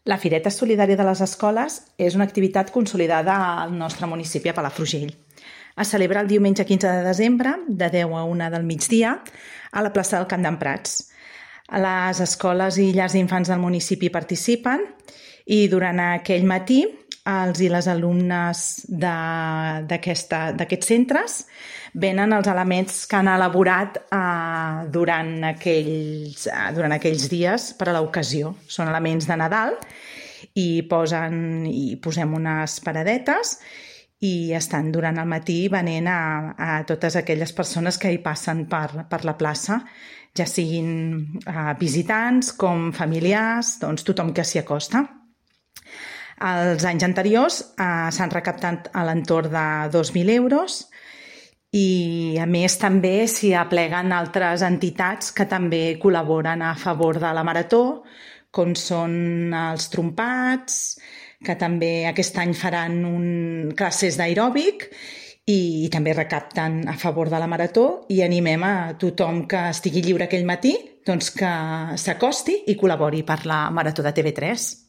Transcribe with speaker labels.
Speaker 1: La Fireta Solidària de les Escoles és una activitat consolidada al nostre municipi, a Palafrugell. Es celebra el diumenge 15 de desembre, de 10 a 1 del migdia, a la plaça del Camp d'en Prats. Les escoles i llars d'infants del municipi participen i durant aquell matí els i les alumnes d'aquests centres venen els elements que han elaborat durant aquells dies per a l'ocasió. Són elements de Nadal i posem unes paradetes i estan durant el matí venent a totes aquelles persones que hi passen per la plaça, ja siguin visitants com familiars, doncs tothom que s'hi acosta. Els anys anteriors s'han recaptat a l'entorn de 2.000 euros i, a més, també s'hi apleguen altres entitats que també col·laboren a favor de la marató, com són els trompats, que també aquest any faran classes d'aeròbic i també recapten a favor de la marató i animem a tothom que estigui lliure aquell matí doncs que s'acosti i col·labori per la marató de TV3.